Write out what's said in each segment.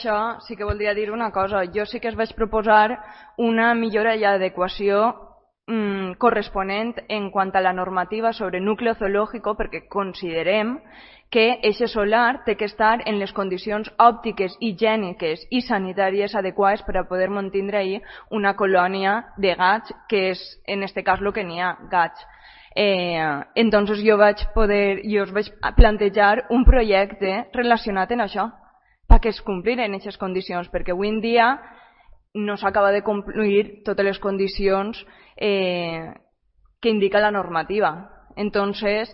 Això sí que voldria dir una cosa. Jo sí que es vaig proposar una millora i adequació corresponent en quant a la normativa sobre núcleo zoológico, perquè considerem que eixe solar té que estar en les condicions òptiques, higièniques i sanitàries adequades per a poder mantindre ahí una colònia de gats, que és en este cas el que n'hi ha, gats. Entonces jo us vaig plantejar un projecte relacionat amb això, perquè es compliren aquestes condicions, perquè avui en dia no s'acaba de complir totes les condicions que indica la normativa. Entonces,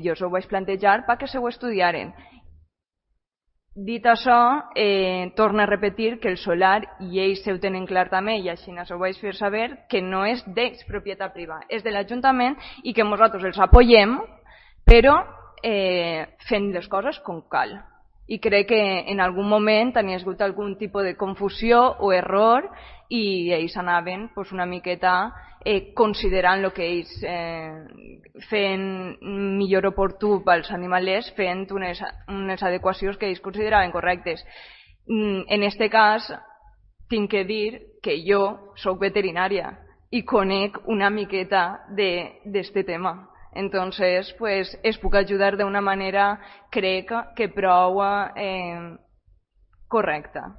jo us ho vaig plantejar perquè se ho estudiaren. Dit això, torno a repetir que el solar, i ells ho tenen clar també, i així ho vaig fer saber, que no és d'ells propietat privada, és de l'Ajuntament i que nosaltres els apoyem, però fent les coses com cal. I crec que en algun moment tenia hagut algun tipus de confusió o error i ells anaven una miqueta considerant el que ells feien millor oportú pels animalers, fent unes adequacions que ells consideraven correctes. En aquest cas tinc que dir que jo soc veterinària i conec una miqueta d'este tema. Entonces, pues, es puc ajudar d'una manera, crec que prou correcta.